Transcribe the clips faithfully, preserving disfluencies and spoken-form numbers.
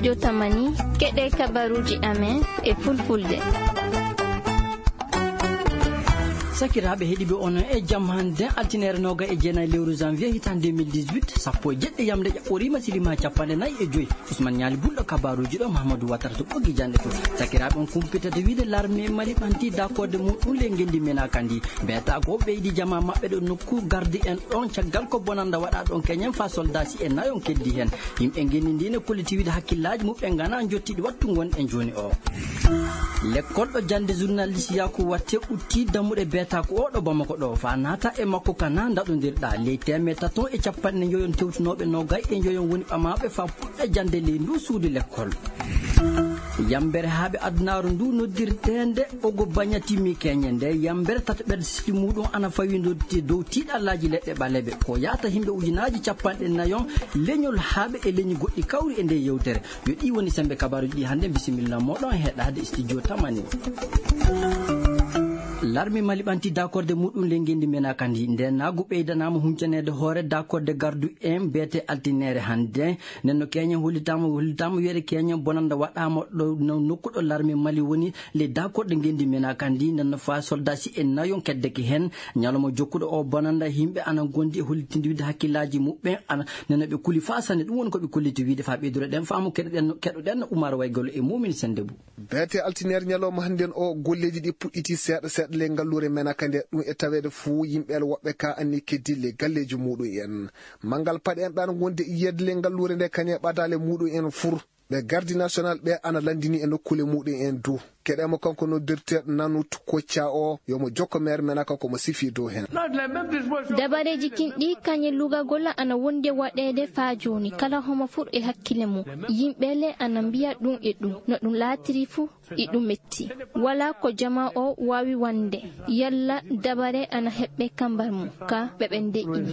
Jotamani, keɗe kabaruuji amen e fulfulde. Sakiraaɓe heɗiiɓe, on e jam hannde, altine noogay e jeenayi lewru janvier hitaande deux mille dix-huit, sappo e jeɗɗi yamde ƴaɓɓoriima, silima capanɗe nayi e joyi. Ousmane Ñaali Bulɗo, kabaruuji ɗo, Mahamadou Watara to ɓoggi jannde to. Sakiraaɓe, on kumpitata wiide larme Mali ɓanti dakorde muɗum le ngenndi menaka ndi. Mbiyata ko ɓeydi jama maɓɓe ɗo nokku gardi en ɗon, caggal ko bonanda waɗa ɗon keñen fa soldasi e nayon keddi hen. Yimɓe ngenndi ndi ne kolliti wiide hakkillaaji muɓɓe ngana jottiɗi wattu ngon e jooni o. Lekkol ɗo jannde journaliste Yaku Watte utti dammuɗe beetaku o ɗo Bamako ɗo, fa naata e makko kana ndaɗondirɗa. Ley teemeɗɗe taton e capanɗe njoyon tewtunooɓe noogay e njoyon woni ɓamaaɓe fa puɗɗa jannde ley ndu suudu lekkol. Yambere haaɓe adunaaru ndu noddirteende Ogo Banya timmi keñe. Nde yambere tataɓerde siki muɗum ana fawi noddi dow tiiɗallaaji leɗɗe ɓaleeɓe. Ko yaata himɓe ujunaaji capanɗe nayon leñol haaɓe e leñi goɗɗi kawri e nde yewtere. Yo ɗi woni sembe kabaruji ɗi hannde. Bisimilla moɗon heɗade studio tamani. Larmi Mali ɓanti dakorde muɗum le ngendi mena kandi. Nde nagu ɓeydanaama huncanede hoore dakorde gardu en beete altinere hannde. Nden no keñen hollitama, hollitama wiyede keñen bonanda waɗama ɗo no nokku ɗo larmi Mali woni le dakorde ngendi mena kandi. Nden no fa soldasi en nayon keddeki hen. Ñalawma jokkuɗo o bonanda, yimɓe ana gondi e hollitinde wiide hakkillaji muɓɓen, ana nana ɓe kuli fa sanne. Ɗum woni ko ɓe kolliti wiide fa ɓeydoro ɗen faamu, keɗoɗen, keɗoɗen Umar Waygol e Mumin Sendebou. Beete altinere ñalawma hannden o, golleji ɗi puɗɗiti seeɗa seeɗa le ngalluure Menaka nde. Ɗum e taweede fuu yimɓe el woɓɓe ka anni keddi le galleji muɗum en. Manngal paɗe en ɗan wonde yiyede le ngalluure nde kañe ɓadale muɗum en fur. Ɓe gardi national ɓe ana landini e nokkuule muɗum en du. Keɗe mo kanko noddirteeɗo Nanut Kocca o, yo mo jokko meer Menaka ko mo sifi dow hen. Dabareji kinɗi kañe lugagol ana wondi waɗeede faa jooni. Kala homo fur e hakkile mum. Yimɓe le ana mbiya ɗum e ɗum. No ɗum laatiri fu, iɗum metti. Wala ko jama o waawi wande. Yalla dabare ana heɓɓe kambar mum. Ka ɓe ɓen deƴƴini.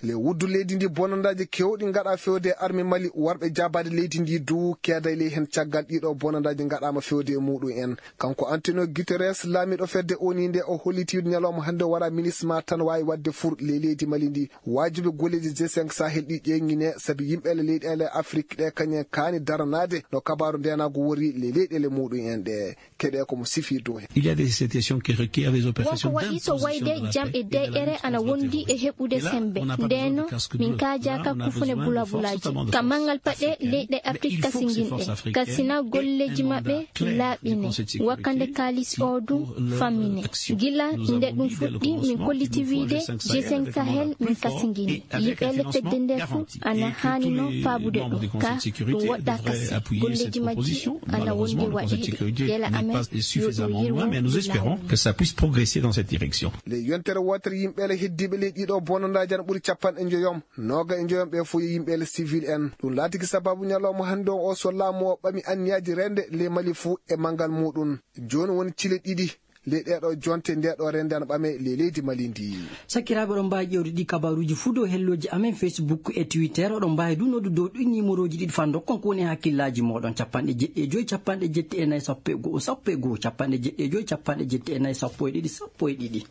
Le wuddu leydi ndi bonandaaji kewɗi ngaɗa fewde e arme Mali, warɓe jaabaade leydi ndi du keeday ley hen caggal ɗiɗo bonandaaji ngaɗaama fewde e muɗum en. Kanko Antonio Guterres, laamiiɗo fedde O N U nde, o holliti ñalawma hannde wara ministre ma tan waawi waɗde fur ley leydi Mali ndi. Waajibi golleeji G cinq Sahel ɗi ƴeeŋine, sabi yimɓe le leyɗeele Afrik ɗe kañen kaani daranaade no kabaaru ndeenaagu wori ley leyɗeele muɗum en ɗe. Keɗe ko mo sifi dow hen. Il y a des situations qui requièrent des opérations d'imposition de la paix et de la lutte contre la terrorisme. Wonko waɗi so wayde jam e deƴƴere ana wondi e heɓude sembe. Ndeno, min kaajaka kufune bulabulaji. Ka manngal paɗe leyɗe Afrik kasinginɗe. Kasina golleji maɓɓe laaɓine. Wakkande kaalis o du fammine. Gila nde ɗum fuɗɗi, min kolliti wiide G cinq Sahel min kasingini. Yiɓele fedde nde fu ana haani no faabude ɗum. Ka ɗum woɗɗa kasi. Golleji majji ana wondi waɗeede. Yela amen yo ɗum yirwo. Mais nous espérons que ça puisse progresser dans cette direction. Le yontere wootere yimɓe le heddiiɓe ley ɗiɗo bonandaaji ana ɓuri capanɗe njoyom. Nooga e njoyom ɓe fof yo yimɓe le civil en. Ɗum laatiki sababu ñalawma hannde on o so laamu o ɓami anniyaaji rende le Mali fuu e manngal muɗum. Jooni woni cile ɗiɗi le ɗeɗo jonte nde ɗo rende ana ɓame le leydi Mali ndi. Sakiraaɓe, oɗon mbaawi ƴeewde ɗi kabaruuji fuu dow hellooji amen Facebook e Twitter. Oɗon mbaawi du noddu dow ɗi nimorooji ɗiɗi fa ndokkon ko woni e hakkillaaji mooɗon. Capanɗe jeɗɗi e joyi, capanɗe jeɗɗi e nayi, sappo e go'o, sappo e go'o, capanɗe jeɗɗi e joyi, capanɗe jeɗɗi e nayi, sappo e ɗiɗi, sappo e ɗiɗi.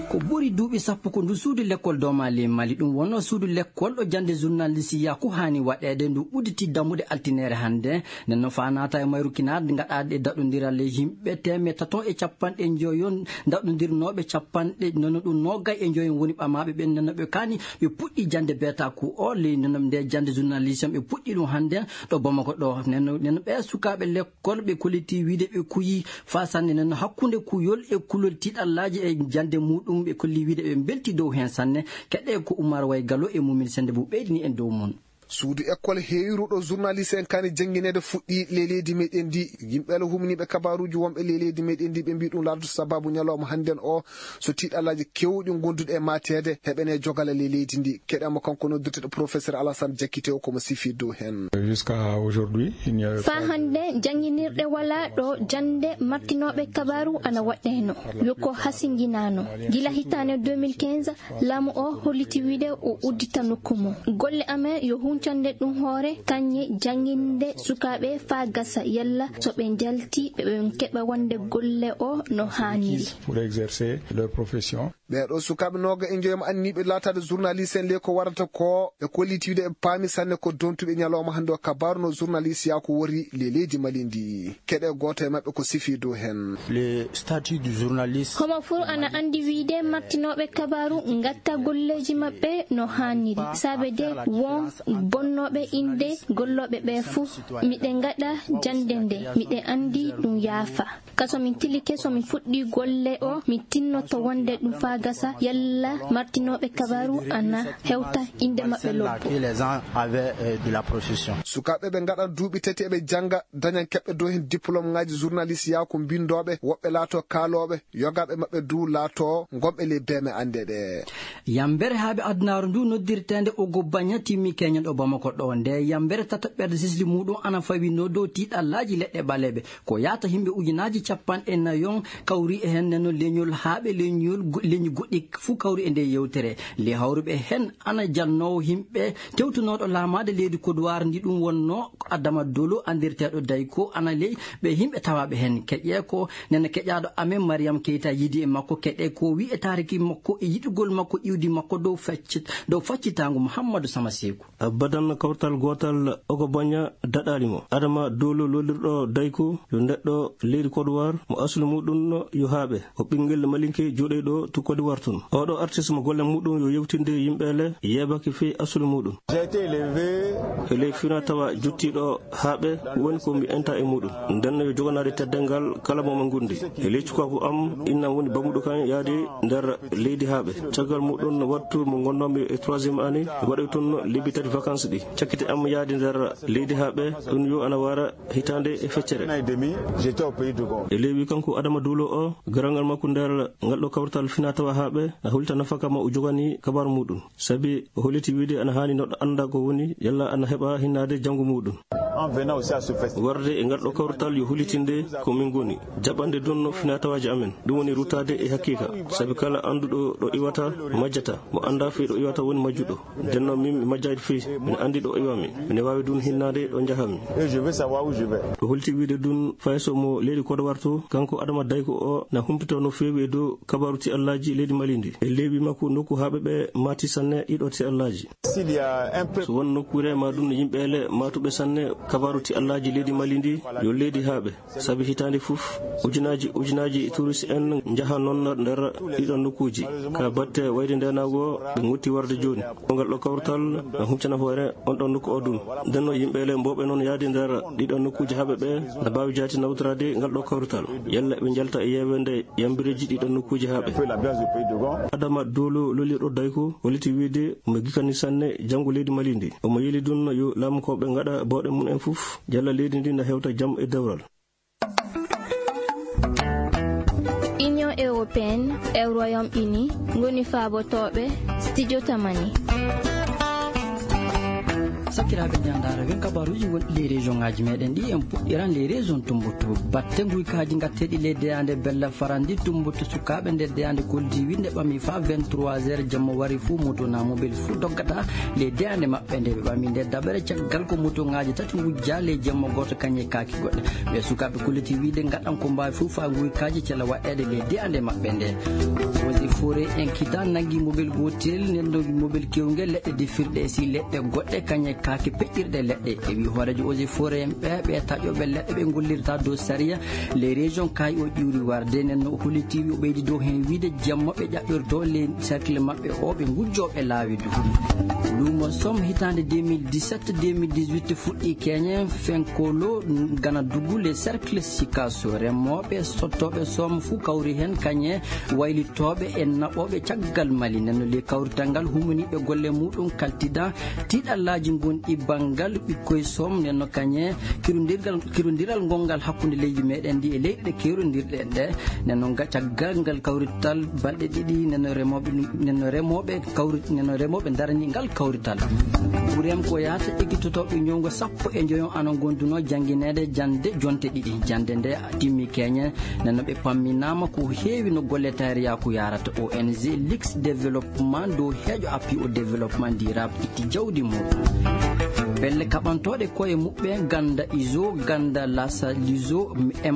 Ko ɓuri duuɓi sappo ko ndu suudu lekkol domaali Mali. Ɗum wonno suudu lekkol ɗo jannde journaliste Yaku haani waɗeede. Ndu udditi dammuɗe altinere hannde. Nden no fa naata e mayru kinaar ngaɗaaɗe daɗondiral e yimɓe teemeɗɗe tato e capanɗe njoyon daɗondirnooɓe capanɗe nono ɗum noogay e njoyon woni ɓamaaɓe ɓen. Nden no ɓe kaani ɓe puɗɗi jannde beetaku o ley nden no nde jannde journaliste ɓe puɗɗi ɗum hannde ɗo Bamako ɗo. Nden no, nden no ɓe sukaaɓe lekkol ɓe kolliti wiide ɓe kuyi fa sanne. Nden no hakkunde kuyol e kulol tiiɗallaaji e jannde muɗum ɓe kolli wiide ɓe mbelti dow heen sanne. Keɗe ko Umar Way Galo e Mumin Sende Bou ɓeydini en dow mum. Suudu ekkol heewiruɗo journaliste en kaani janngineede fuɗɗi le leydi meɗen ndi. Yimɓe le humniiɓe kabaruuji wonɓe le leydi meɗen ndi ɓe mbi ɗum laatoto sababu ñalawma hannden o so tiiɗallaaji kewɗi gonduɗi e maateede heɓene jogala le leydi ndi. Keɗe mo kanko noddirteɗo professeur Alassane Diakité o ko mo sifi dow heen. Jusqu'à aujourd'hui, il n'y a pas de... Faa hannde jannginirɗe walaa ɗo jannde martinooɓe kabaaru ana waɗɗeeno. Yo ko hasinginaano. Gila hitaande deux mille quinze, laamu o holliti wiide o uddita nokku mum. Golle amen yo huncande ɗum hoore kañe jannginde sukaaɓe faa gasa yalla so ɓe njalti ɓe ɓe keɓa wonde golle o no haaniri. Pour exercer leur profession. Ɓee ɗoo sukaaɓe nooga e njoyam anniiɓe laataade journaliste en ley ko warata ko, ɓe kolliti wiyde ɓe paami sanne ko dontuɓe ñalawma hannde o. Kabaaru no journaliste yaa ko wori ley leydi Mali ndi. Keɗe gooto e maɓɓe ko sifi dow heen. Le statut du journaliste. Homo fuu ana anndi wiyde martinooɓe kabaaru ngatta golleeji maɓɓe no haaniri. Saabe de won bonnooɓe innde gollooɓe ɓe fuu. Miɗe ngaɗa jannde nde, miɗe anndi ɗum yaafa. Ka so min tilike, so min fuɗɗii golle o, min tinnoto wonde ɗum faa gasa, yalla martinooɓe kabaaru ana hewta innde maɓɓe lobbo. Sukaaɓe ɓe ngaɗan duuɓi tati eɓe jannga, dañan keɓɓe dow heen diplôme ŋaaji journaliste yaa ko mbinndooɓe, woɓɓe laato kaalooɓe, yogaaɓe maɓɓe du laato ngonɓe ley beeme anndeeɗe. Yambere haaɓe adunaaru ndu noddirteende Ogo Banya timmi keñen ɗo Bamako ɗo. Nde yambere tataɓɓerde sisli muuɗum ana fawinoo dow tiiɗallaaji leɗɗe ɓaleeɓe. Ko yaata yimɓe ujunaaji capanɗe nayon kawri e heen, nden noon leñol haaɓe, leñol go-, leñi goɗɗi fuu kawri e nde yewtere. Ley hawruɓe heen ana jannoowo yimɓe tewtunooɗo laamaade leydi Kodowar ndi ɗum wonnoo ko Adama Dolo anndirteeɗo Dayko ana ley ɓe yimɓe tawaaɓe heen. Keƴee ko nena keƴaaɗo amen Mariam Keita yiidi e makko, keɗee ko wi'i e taariki makko e yiɗugol makko iwdi makko dow facci-, dow faccitaango Muhammadu Sama Seeku. Abadan kawtal gootal Ogo Banya daɗaali mo. Adama Dolo lollirɗo Dayko yo neɗɗo leydi Kodowar mo aslu muɗum yo haaɓe. O ɓinngel malinke jooɗoyɗo to Kodowar tun. Oɗo artiste mo golle muɗum yo yewtinde yimɓe le yeebaki fii aslu muɗum. E ley fina tawa jottiiɗo haaɓe woni ko mi enta e muɗum. Nden no yo joganaade teddeengal kala mo mo ngundi. E ley cukaaku am, innam woni bamuɗo kan yaade nder leydi haaɓe. Caggal muɗum wattu mo ngonnoomi e troisième année, mi waɗoy tun lebbi tati vacances ɗi. Cakkite am yaade nder leydi haaɓe, ɗum yo ana wara hitaande e feccere. E ley wi kanko Adama Duulo o, garangal makko nder ngal ɗo kawrital fina tawa haaɓe, na holita nafaka mo o jogani kabaaru muɗum. Sabi o holiti wiide ana haani neɗɗo annda ko woni, yalla ana heɓa hinnaade janngo muɗum. Warde e ngal ɗo kawrital yo holitinde ko min ngoni jaɓande dunno fina tawaaji amen. Ɗum woni ruttaade e haqiiqa. Sabi kala annduɗo ɗo iwata, majjata. Mo annda fii ɗo iwata woni majjuɗo. Nden noon min mi majjaade fii, min anndi ɗo iwami. Mine waawi dun hinnaade ɗo njahami. O holiti wiide dun fay so mo leydi Kodowar to, kanko Adama Dayko o na humpito no feewi e dow kabaaru ti Allaaji leydi Mali ndi. E ley wi makko nokku haaɓe ɓe maati sanne ɗiɗo ti Allaaji. So won nokkuure ma ɗum yimɓe ele maatuɓe sanne kabaaru ti Allaaji leydi Mali ndi, yo leydi haaɓe. Sabi hitaande fof, ujunaaji, ujunaaji turist en njaha noon nder ɗiɗo nokkuuji. Ka batte wayde ndeenaagu o, ɓe ngotti warde jooni. Ngal ɗo kawrital na huccana hoore on ɗon nokku o ɗum. Nden no yimɓe ele mbowɓe noon yaade nder ɗiɗo nokkuuji haaɓe ɓe na mbaawi jaati nawtoraade ngal ɗo kawrital. Yalla ɓe njalta e yeewende yambireeji ɗiɗo nokkuuji haaɓe. Adama Dolo lolirɗo Dayko, holliti wiide omo gikani sanne janngo leydi Mali ndi. Omo yeli ɗum yo laamu ko ɓe ngaɗa bawɗe mum en fof, yalla leydi ndi na hewta jam e dewral. Union européenne e Royaume-Uni ngoni faabotooɓe studio Tamani. Sakiraaɓe, njandaara wen kabaaruuji wonɗi ley région ŋaaji meɗen ɗi, en puɗɗiran ley région Tumbuktu. Batte nguykaaji ngatteeɗi ley deyaande Bella Farandi Tumbuktu, sukaaɓe nder deyaande Koldiwi nde ɓami fa vingt-trois heures jamma wari fuu moto na mobile fuu doggata ley deyaande maɓɓe nde ɓe ɓami nde daɓere caggal ko moto ŋaaji tati ngujja ley jamma gooto kañe kaaki goɗɗe. Ɓe sukaaɓe kolliti wiide ngaɗan ko mbaawi fof faa nguykaaji cela waɗeede ley deyaande maɓɓe nde. Eaux et Forêts en kita nanngi mobel gootel, nden no mobel kewngel leɗɗe defirɗe e si leɗɗe goɗɗe kañe kaake peƴƴirɗe leɗɗe. E wi hooreejo Eaux et Forêts en ɓe, ɓe taƴooɓe leɗɗe ɓe ngollirta dow sariya, les régions kay o ƴuuri warde, nden no o holliti wi o ɓeydi dow heen wiide jamma ɓe ƴaɓɓirto les cercle maɓɓe o ɓe ngujjooɓe laawi du. Luumo som hitaande deux mille dix-sept deux mille dix-huit fuɗɗi keñe fenkolo gana dugu les cercles sikaso. Remooɓe sottooɓe som fuu kawri heen kañe waylitooɓe e naɓooɓe caggal Mali. Nden no ley kawrital ngal humaniiɓe golle muɗum kaltida tiiɗallaaji ngonɗi banngal ɓikkoy som. Nden no kañe kirondirgal, kirondiral ngongal hakkunde leydi meɗen ndi e leyɗe kerondirɗe en ɗe. Nden no nga-, caggal ngal kawrital balɗe ɗiɗi, nden no remooɓe, nden no remooɓe kawri-, nden no remooɓe darani ngal kawrital. Ɓurem ko yahata ekkitotooɓe ñowngo sappo e njoyo ana ngonduno janngineede jannde jonte ɗiɗi. Jannde nde timmi keñe, nden no ɓe pamminaama ko heewi no golle tayriyaaku yaarata. O N G Lix Développement dow heejo appui au développement durable itti jawdi muɗum. Pelle kaɓantooɗe koye muɓɓen ganda iso ganda lasa liso,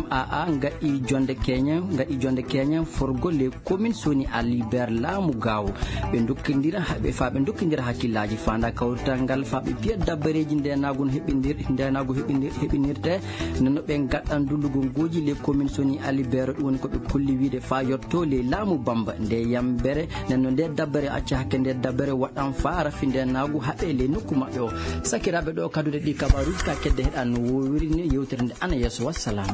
maa ngaɗi jonde keñen ngaɗi jonde keñen forgo les communes soni aliber laamu gaawo. Ɓe dokkindira haɓe fa ɓe dokkindira hakkillaaji faanda kawrital ngal fa ɓe piya dabbareeji ndenaagu no heɓindir ndenaagu heɓindir heɓinirte. Nano ɓe gaɗɗan dullugol gooji les communes soni aliber ɗum woni ko ɓe kolli wiide fa yotto les laamu bamba nde yambere. Nenno nde dabbere acca hakke nde dabbere waɗan fa rafi ndenaagu haɓe les nokku maɓɓe o. Sakiraaɓe ɗo kadude ɗi kabaruuji ka kedde heɗan no wowiri ni yewtere nde ana yeeso, wassalam.